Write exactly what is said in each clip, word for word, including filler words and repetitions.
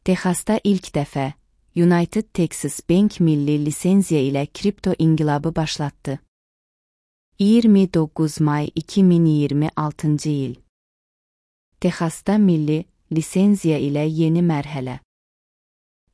Texasda ilk dəfə United Texas Bank milli lisenziya ilə kripto inqilabı başlatdı. iyirmi doqquz may iki min iyirmi altıncı il. Texasda milli lisenziya ilə yeni mərhələ.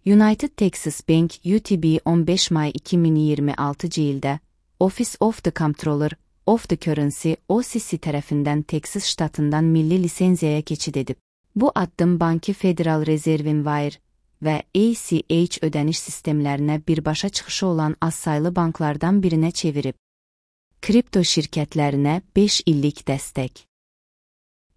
United Texas Bank U T B on beş may iki min iyirmi altıncı ildə Office of the Comptroller of the Currency O C C tərəfindən Texas ştatından milli lisenziyaya keçid edib. Bu addım bankı Federal Reserve Wire və A C H ödəniş sistemlərinə birbaşa çıxışı olan azsaylı banklardan birinə çevirib. Kripto şirkətlərinə beş illik dəstək.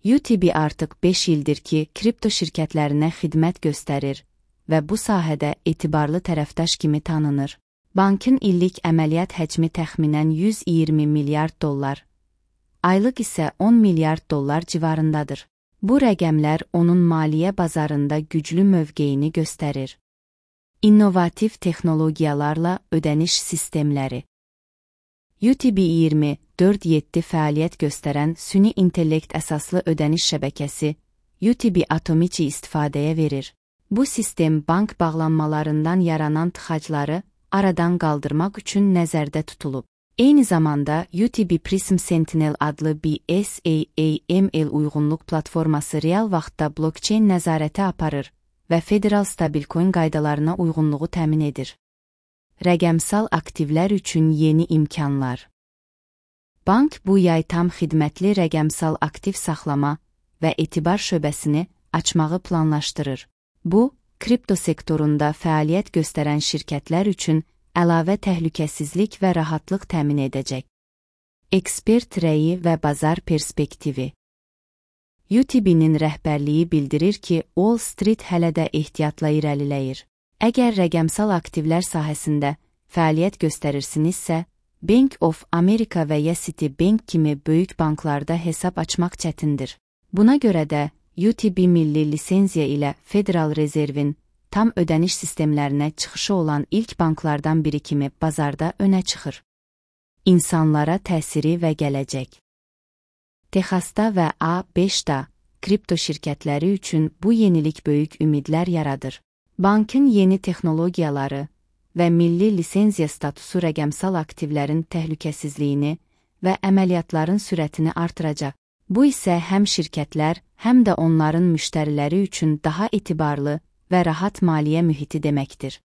U T B artıq beş ildir ki, kripto şirkətlərinə xidmət göstərir və bu sahədə etibarlı tərəfdaş kimi tanınır. Bankın illik əməliyyat həcmi təxminən yüz iyirmi milyard dollar, aylıq isə on milyard dollar civarındadır. Bu rəqəmlər onun maliyyə bazarında güclü mövqeyini göstərir. İnnovativ texnologiyalarla ödəniş sistemləri. U T B iyirmi dörd yeddi fəaliyyət göstərən süni intellekt əsaslı ödəniş şəbəkəsi U T B Atomici istifadəyə verir. Bu sistem bank bağlanmalarından yaranan tıxacları aradan qaldırmaq üçün nəzərdə tutulub. Eyni zamanda U T B Prism Sentinel adlı B S A A M L uyğunluq platforması real vaxtda blockchain nəzarəti aparır və federal stabilcoin qaydalarına uyğunluğu təmin edir. Rəqəmsal aktivlər üçün yeni imkanlar. Bank bu yay tam xidmətli rəqəmsal aktiv saxlama və etibar şöbəsini açmağı planlaşdırır. Bu, kripto sektorunda fəaliyyət göstərən şirkətlər üçün əlavə təhlükəsizlik və rahatlıq təmin edəcək. Ekspert rəyi və bazar perspektivi. U T B'nin rəhbərliyi bildirir ki, Wall Street hələ də ehtiyatla irəliləyir. Əgər rəqəmsal aktivlər sahəsində fəaliyyət göstərirsinizsə, Bank of America və ya Citibank kimi böyük banklarda hesab açmaq çətindir. Buna görə də U T B milli lisenziya ilə Federal Reserve'in tam ödəniş sistemlərinə çıxışı olan ilk banklardan biri kimi bazarda önə çıxır. İnsanlara təsiri və gələcək. Texasda və A beşdə kripto şirkətləri üçün bu yenilik böyük ümidlər yaradır. Bankın yeni texnologiyaları və milli lisenziya statusu rəqəmsal aktivlərin təhlükəsizliyini və əməliyyatların sürətini artıracaq. Bu isə həm şirkətlər, həm də onların müştəriləri üçün daha etibarlı və rahat maliyyə mühiti deməkdir.